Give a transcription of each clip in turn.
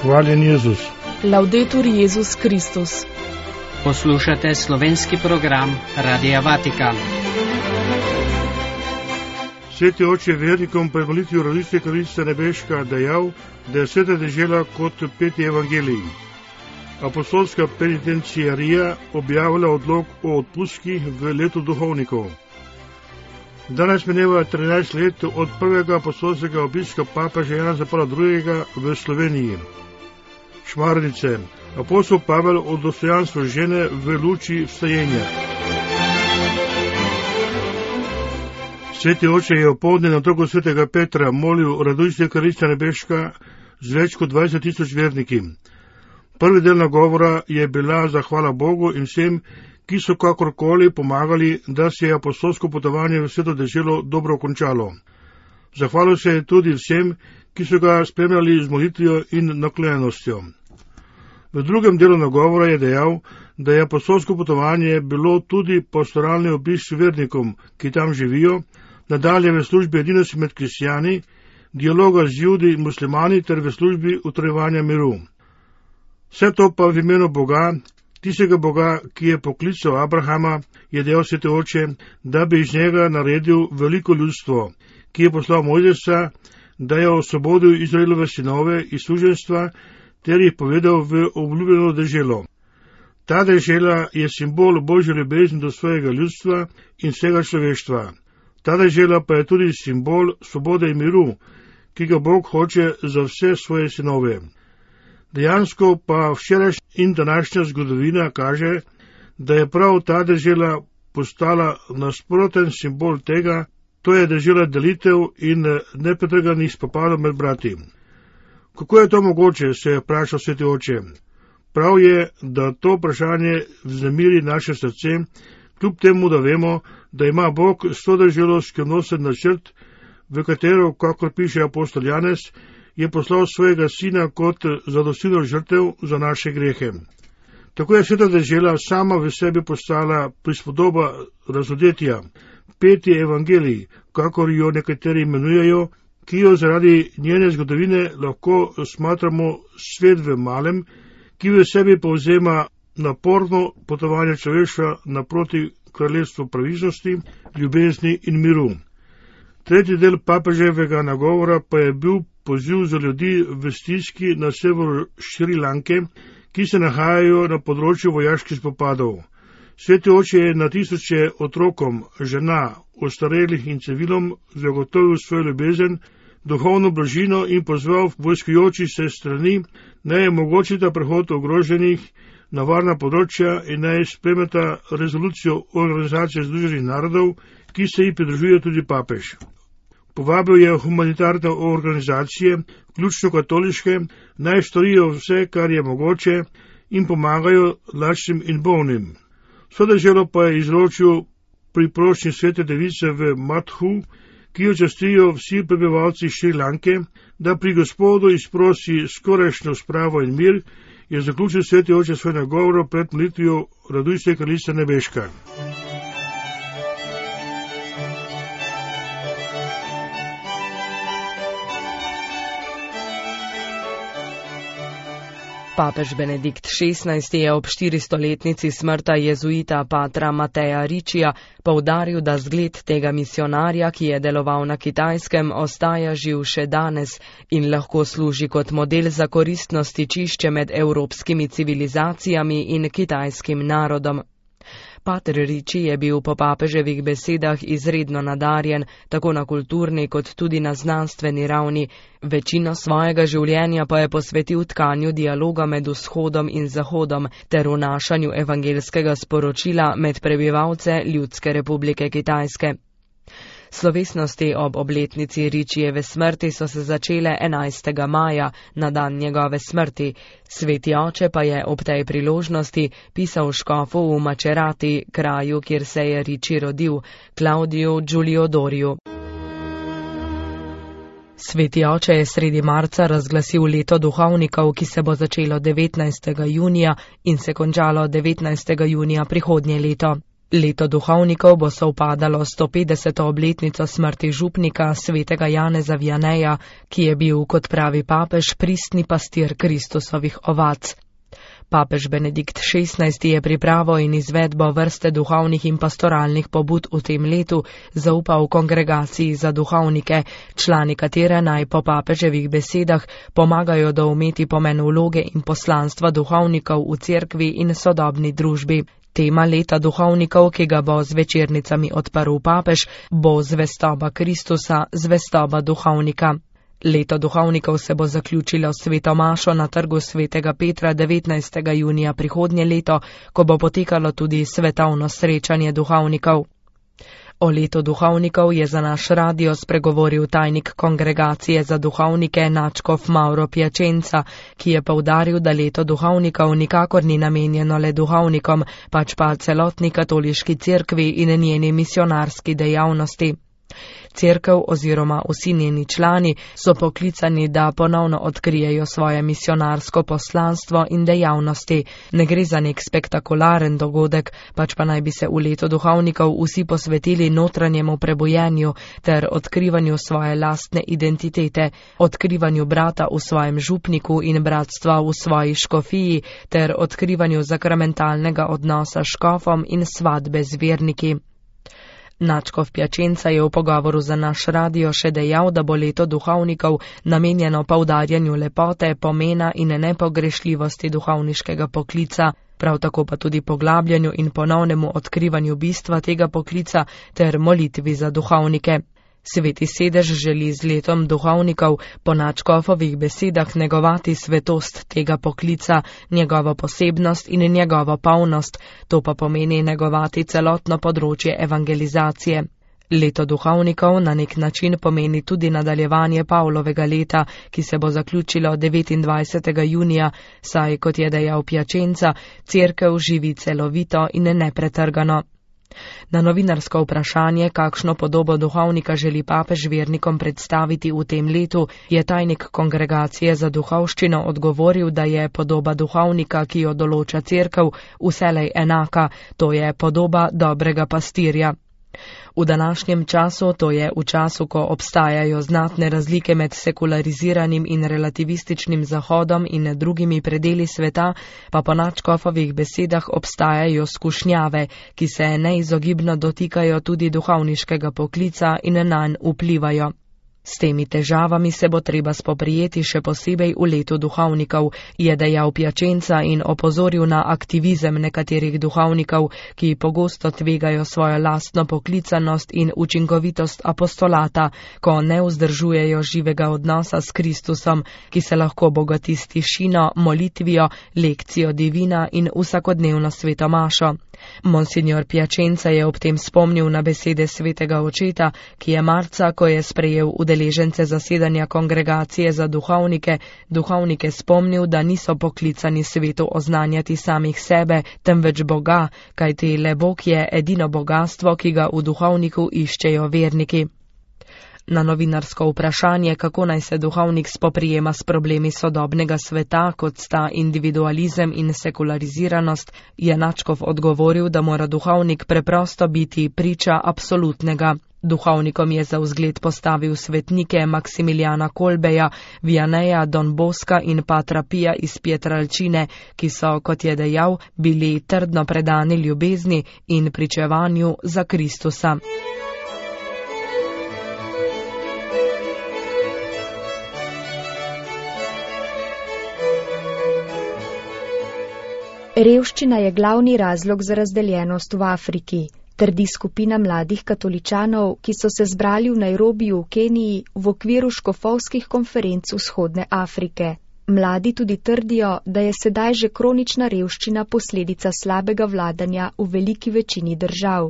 Hvaljen Jezus. Laudetur Jezus Kristus. Poslušate slovenski program Radia Vatikan. Sveti oče vernikom pri molitvi v Rodice Kraljice Nebeška dejal, da je sveta dežela kot peti evangelij. Apostolska penitenciarija objavila odlok o odpustkih v letu duhovnikov. Danes mineva 13 let od prvega apostolskega obiska papeža Janeza Pavla II. V Sloveniji. Šmarnice. Apostol Pavel o dostojanstvu žene v luči vstajenja. Sveti oče je opoldne na trgu svetega Petra molil Rodice Kraljice Nebeška z več kot 20,000 verniki. Prvi del nagovora je bila zahvala Bogu in vsem, ki so kakorkoli pomagali, da se je apostolsko potovanje v sveto deželo dobro končalo. Zahvalil se je tudi vsem, ki so ga spremljali z molitvijo in naklonjenostjo. V drugem delu nagovora je dejal, da je apostolsko potovanje bilo tudi pastoralni obisk vernikom, ki tam živijo, nadalje v službi edinosti med kristjani, dialoga z Judi in muslimani ter v službi utrjevanja miru. Vse to pa v imenu Boga, tistega Boga, ki je poklical Abrahama, je dejal sveti oče, da bi iz njega naredil veliko ljudstvo, ki je poslal Mojzesa, da je osvobodil Izraelove sinove iz suženjstva ter jih povedal v obljubljeno deželo. Ta dežela je simbol Božje ljubezni do svojega ljudstva in vsega človeštva. Ta dežela pa je tudi simbol svobode in miru, ki ga Bog hoče za vse svoje sinove. Dejansko pa včerajšnja in današnja zgodovina kaže, da je prav ta dežela postala nasproten simbol tega, to je dežela delitev in nepretrganih spopadov med brati. Kako je to mogoče, se je vprašal sveti oče. Prav je, da to vprašanje vznemiri naše srce, kljub temu, da vemo, da ima Bog s to deželo skrivnosten načrt, v katero, kakor piše apostol Janez, je poslal svojega sina kot zadostilno žrtev za naše grehe. Tako je sveta dežela sama v sebi postala prispodoba razodetja, peti evangelij, kakor jo nekateri imenujejo, ki jo zaradi njene zgodovine lahko smatramo svet v malem, ki v sebi povzema naporno potovanje človeštva naproti kraljestvu pravičnosti, ljubezni in miru. Tretji del papeževega nagovora pa je bil poziv za ljudi v stiski na severu Šrilanke, ki se nahajajo na področju vojaških spopadov. Sveti oče je na tisoče otrokom, žena, ostarelih in civilom zagotovil svojo ljubezen, duhovno blažino in pozval vojskujoči se strani, naj omogočita prehod ogroženih na varna področja in naj spremeta rezolucijo Organizacije združenih narodov, ki se ji pridružuje tudi papež. Povabil je humanitarne organizacije, vključno katoliške, naj storijo vse, kar je mogoče in pomagajo lačnim in bolnim. Vso deželo pa je izročil priprošnji svete device v Mathu, ki jo častijo vsi prebivalci Šrilanke, da pri Gospodu izprosi skorajšnjo spravo in mir, je zaključil sveti oče svoj nagovor pred molitvijo Rodice Kraljice Nebeška. Papež Benedikt XVI je ob 400-letnici smrta jezuita patra Mateja Ričija poudaril, da zgled tega misionarja, ki je deloval na Kitajskem, ostaja živ še danes in lahko služi kot model za koristno stičišče med evropskimi civilizacijami in kitajskim narodom. Pater Riči je bil po papeževih besedah izredno nadarjen, tako na kulturni kot tudi na znanstveni ravni. Večino svojega življenja pa je posvetil tkanju dialoga med vzhodom in zahodom ter vnašanju evangelskega sporočila med prebivalce Ljudske republike Kitajske. Slovesnosti ob obletnici Ričijeve smrti so se začele 11. maja, na dan njegove smrti. Sveti oče pa je ob tej priložnosti pisal škofu v Macerati, kraju, kjer se je Riči rodil, Claudiu Giuliodoriju. Sveti oče je sredi marca razglasil leto duhovnikov, ki se bo začelo 19. junija in se končalo 19. junija prihodnje leto. Leto duhovnikov bo sovpadalo 150. obletnico smrti župnika svetega Janeza Vianeja, ki je bil, kot pravi papež, pristni pastir Kristusovih ovac. Papež Benedikt XVI je pripravo in izvedbo vrste duhovnih in pastoralnih pobud v tem letu zaupal kongregaciji za duhovnike, člani katere naj po papeževih besedah pomagajo doumeti pomen vloge in poslanstva duhovnikov v cerkvi in sodobni družbi. Tema leta duhovnikov, ki ga bo z večernicami odprl papež, bo zvestoba Kristusa, zvestoba duhovnika. Leto duhovnikov se bo zaključilo s sveto mašo na trgu svetega Petra 19. junija prihodnje leto, ko bo potekalo tudi svetovno srečanje duhovnikov. O letu duhovnikov je za naš radio spregovoril tajnik kongregacije za duhovnike nadškof Mauro Piacenza, ki je poudaril, da leto duhovnikov nikakor ni namenjeno le duhovnikom, pač pa celotni katoliški cerkvi in njeni misionarski dejavnosti. Cerkev oziroma vsi njeni člani so poklicani, da ponovno odkrijejo svoje misionarsko poslanstvo in dejavnosti. Ne gre za nek spektakularen dogodek, pač pa naj bi se v letu duhovnikov vsi posvetili notranjemu prebujenju ter odkrivanju svoje lastne identitete, odkrivanju brata v svojem župniku in bratstva v svoji škofiji ter odkrivanju sakramentalnega odnosa s škofom in svatbe z verniki. Nadškof Piacenza je v pogovoru za naš radio še dejal, da bo leto duhovnikov namenjeno poudarjanju lepote, pomena in nepogrešljivosti duhovniškega poklica, prav tako pa tudi poglabljanju in ponovnemu odkrivanju bistva tega poklica ter molitvi za duhovnike. Sveti sedež želi z letom duhovnikov po nadškofovih besedah negovati svetost tega poklica, njegovo posebnost in njegovo polnost, to pa pomeni negovati celotno področje evangelizacije. Leto duhovnikov na nek način pomeni tudi nadaljevanje Pavlovega leta, ki se bo zaključilo 29. junija, saj, kot je dejal Piacenza, cerkev živi celovito in nepretrgano. Na novinarsko vprašanje, kakšno podobo duhovnika želi papež vernikom predstaviti v tem letu, je tajnik kongregacije za duhovščino odgovoril, da je podoba duhovnika, ki jo določa cerkev, vselej enaka, to je podoba dobrega pastirja. V današnjem času, to je v času, ko obstajajo znatne razlike med sekulariziranim in relativističnim Zahodom in drugimi predeli sveta, pa po nadškofovih besedah obstajajo skušnjave, ki se neizogibno dotikajo tudi duhovniškega poklica in nanj vplivajo. S temi težavami se bo treba spoprijeti še posebej v letu duhovnikov, je dejal Piacenza in opozoril na aktivizem nekaterih duhovnikov, ki pogosto tvegajo svojo lastno poklicanost in učinkovitost apostolata, ko ne vzdržujejo živega odnosa s Kristusom, ki se lahko bogati s tišino, molitvijo, lekcijo divina in vsakodnevno sveto mašo. Monsignor Piacenza je ob tem spomnil na besede svetega očeta, ki je marca, ko je sprejel udeležence zasedanja kongregacije za duhovnike spomnil, da niso poklicani svetu oznanjati samih sebe, temveč Boga, kajti le Bog je edino bogastvo, ki ga v duhovniku iščejo verniki. Na novinarsko vprašanje, kako naj se duhovnik spoprijema s problemi sodobnega sveta, kot sta individualizem in sekulariziranost, je nadškof odgovoril, da mora duhovnik preprosto biti priča absolutnega. Duhovnikom je za vzgled postavil svetnike Maksimilijana Kolbeja, Vianeja, Don Boska in patra Pija iz Pietralcine, ki so, kot je dejal, bili trdno predani ljubezni in pričevanju za Kristusa. Revščina je glavni razlog za razdeljenost v Afriki, trdi skupina mladih katoličanov, ki so se zbrali v Nairobiju v Keniji v okviru škofovskih konferenc Vzhodne Afrike. Mladi tudi trdijo, da je sedaj že kronična revščina posledica slabega vladanja v veliki večini držav.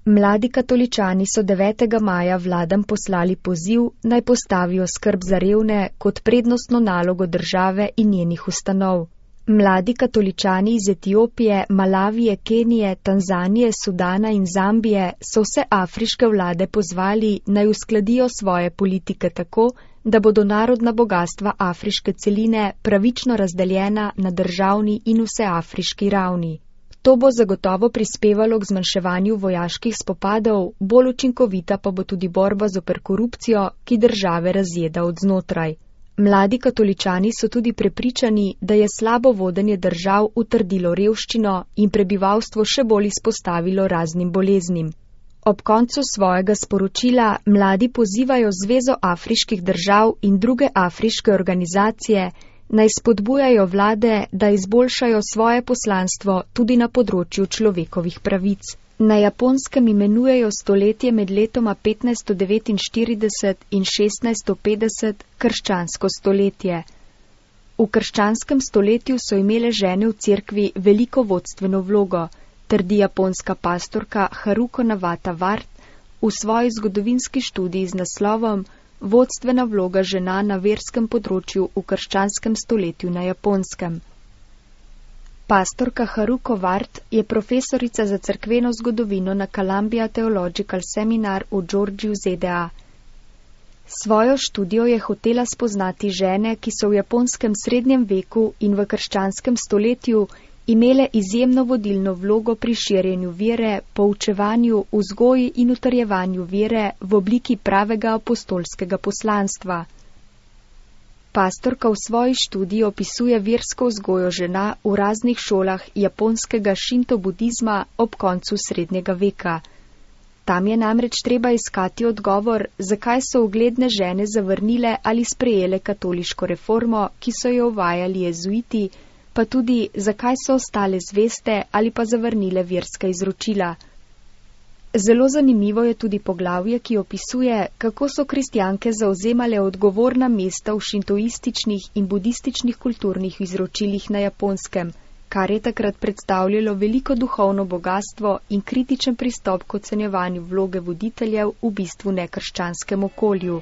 Mladi katoličani so 9. maja vladam poslali poziv, naj postavijo skrb za revne kot prednostno nalogo države in njenih ustanov. Mladi katoličani iz Etiopije, Malavije, Kenije, Tanzanije, Sudana in Zambije so vse afriške vlade pozvali, naj uskladijo svoje politike tako, da bodo narodna bogatstva afriške celine pravično razdeljena na državni in vseafriški ravni. To bo zagotovo prispevalo k zmanjševanju vojaških spopadov, bolj učinkovita pa bo tudi borba zoper korupcijo, ki države razjeda od znotraj. Mladi katoličani so tudi prepričani, da je slabo vodenje držav utrdilo revščino in prebivalstvo še bolj izpostavilo raznim boleznim. Ob koncu svojega sporočila mladi pozivajo Zvezo afriških držav in druge afriške organizacije, naj spodbujajo vlade, da izboljšajo svoje poslanstvo tudi na področju človekovih pravic. Na Japonskem imenujejo stoletje med letoma 1549 in 1650 krščansko stoletje. V krščanskem stoletju so imele žene v cerkvi veliko vodstveno vlogo, trdi japonska pastorka Haruko Navata Ward v svoji zgodovinski študiji z naslovom Vodstvena vloga žena na verskem področju v krščanskem stoletju na Japonskem. Pastorka Haruko Ward je profesorica za cerkveno zgodovino na Columbia Theological Seminar v Georgiji v ZDA. Svojo študijo je hotela spoznati žene, ki so v japonskem srednjem veku in v krščanskem stoletju imele izjemno vodilno vlogo pri širjenju vere, poučevanju, vzgoji in utrjevanju vere v obliki pravega apostolskega poslanstva. Pastorka v svoji študiji opisuje versko vzgojo žena v raznih šolah japonskega šinto-budizma ob koncu srednjega veka. Tam je namreč treba iskati odgovor, zakaj so ugledne žene zavrnile ali sprejele katoliško reformo, ki so jo uvajali jezuiti, pa tudi zakaj so ostale zveste ali pa zavrnile verska izročila. Zelo zanimivo je tudi poglavje, ki opisuje, kako so kristjanke zauzemale odgovorna mesta v šintoističnih in budističnih kulturnih izročilih na Japonskem, kar je takrat predstavljalo veliko duhovno bogatstvo in kritičen pristop k ocenjevanju vloge voditeljev v bistvu nekrščanskem okolju.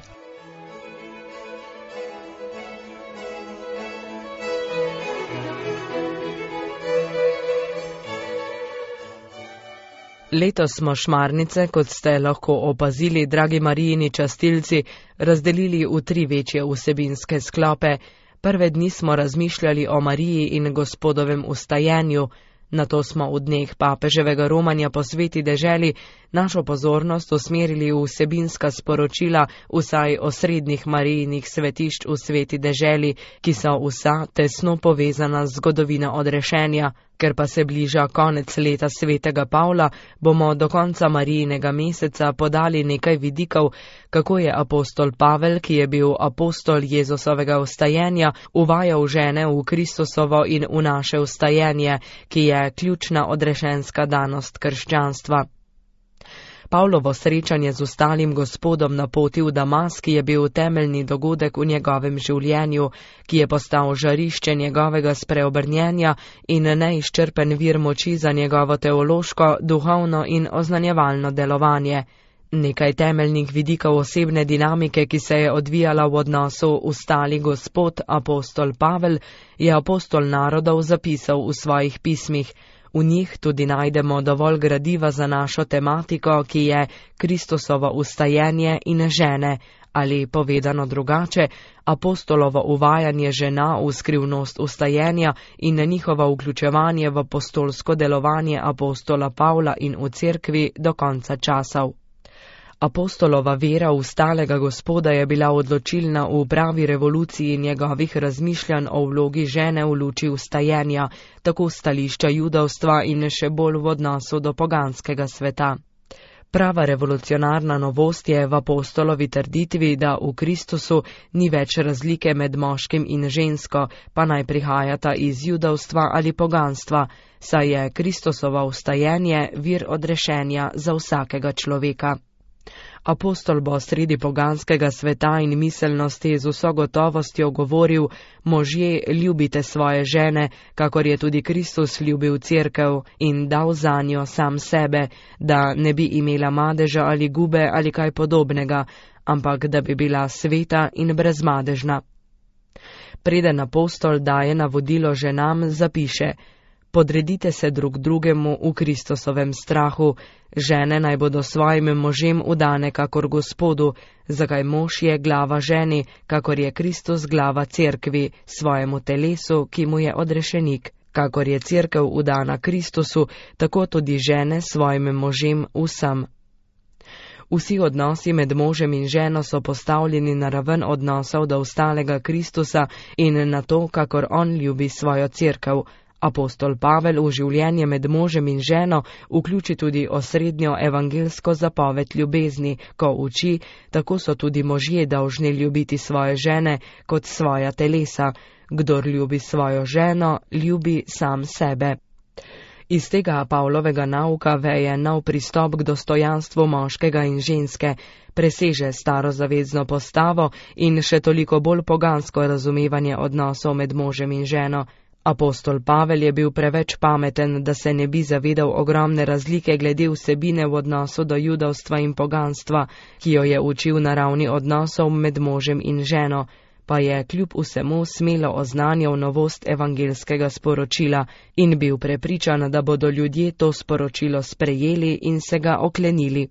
Letos smo šmarnice, kot ste lahko opazili, dragi Marijini častilci, razdelili v 3 večje vsebinske sklope. Prve dni smo razmišljali o Mariji in Gospodovem vstajenju, nato smo v dneh papeževega romanja po sveti deželi našo pozornost usmerili v vsebinska sporočila vsaj osrednjih Marijinih svetišč v sveti deželi, ki so vsa tesno povezana z zgodovino odrešenja. Ker pa se bliža konec leta svetega Pavla, bomo do konca Marijinega meseca podali nekaj vidikov, kako je apostol Pavel, ki je bil apostol Jezusovega vstajenja, uvajal žene v Kristusovo in v naše vstajenje, ki je ključna odrešenska danost krščanstva. Pavlovo srečanje z ustalim Gospodom na poti v Damask je bil temeljni dogodek v njegovem življenju, ki je postal žarišče njegovega spreobrnjenja in neizčrpen vir moči za njegovo teološko, duhovno in oznanjevalno delovanje. Nekaj temeljnih vidikov osebne dinamike, ki se je odvijala v odnosu ustali Gospod, apostol Pavel, je apostol narodov zapisal v svojih pismih. V njih tudi najdemo dovolj gradiva za našo tematiko, ki je Kristusovo vstajenje in žene, ali povedano drugače, apostolovo uvajanje žena v skrivnost vstajenja in njihovo vključevanje v apostolsko delovanje apostola Pavla in v cerkvi do konca časov. Apostolova vera v stalega Gospoda je bila odločilna v pravi revoluciji njegovih razmišljanj o vlogi žene v luči vstajenja, tako stališča judovstva in še bolj v odnosu do poganskega sveta. Prava revolucionarna novost je v apostolovi trditvi, da v Kristusu ni več razlike med moškim in žensko, pa naj prihajata iz judovstva ali poganstva, saj je Kristusovo vstajenje vir odrešenja za vsakega človeka. Apostol bo sredi poganskega sveta in miselnosti z vso gotovostjo govoril: možje, ljubite svoje žene, kakor je tudi Kristus ljubil cerkev in dal zanjo sam sebe, da ne bi imela madeža ali gube ali kaj podobnega, ampak da bi bila sveta in brezmadežna. Preden apostol daje navodilo ženam, zapiše: podredite se drug drugemu v Kristusovem strahu, žene naj bodo svojim možem udane kakor Gospodu, zakaj mož je glava ženi, kakor je Kristus glava cerkvi, svojemu telesu, ki mu je odrešenik. kakor je cerkev vdana Kristusu, tako tudi žene svojim možem vsem. Vsi odnosi med možem in ženo so postavljeni na raven odnosov do ostalega Kristusa in na to, kakor on ljubi svojo cerkev. Apostol Pavel v življenje med možem in ženo vključi tudi osrednjo evangelsko zapoved ljubezni, ko uči, tako so tudi možje dolžni ljubiti svoje žene kot svoja telesa. Kdor ljubi svojo ženo, ljubi sam sebe. Iz tega Pavlovega nauka veje nov pristop k dostojanstvu moškega in ženske, preseže starozavezno postavo in še toliko bolj pogansko razumevanje odnosov med možem in ženo. Apostol Pavel je bil preveč pameten, da se ne bi zavedal ogromne razlike glede vsebine v odnosu do judovstva in poganstva, ki jo je učil na ravni odnosov med možem in ženo, pa je kljub vsemu smelo oznanjal novost evangelskega sporočila in bil prepričan, da bodo ljudje to sporočilo sprejeli in se ga oklenili.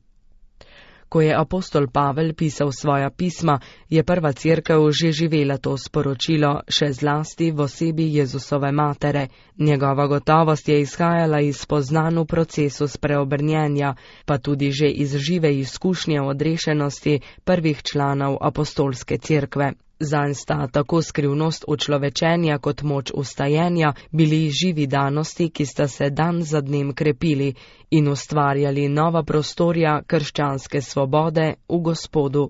Ko je apostol Pavel pisal svoja pisma, je prva cerkev že živela to sporočilo, še zlasti v osebi Jezusove matere. Njegova gotovost je izhajala iz spoznanj v procesu spreobrnjenja, pa tudi že iz žive izkušnje odrešenosti prvih članov apostolske cerkve. Zanj sta tako skrivnost učlovečenja kot moč ustajenja bili živi danosti, ki sta se dan za dnem krepili in ustvarjali nova prostorja krščanske svobode v Gospodu.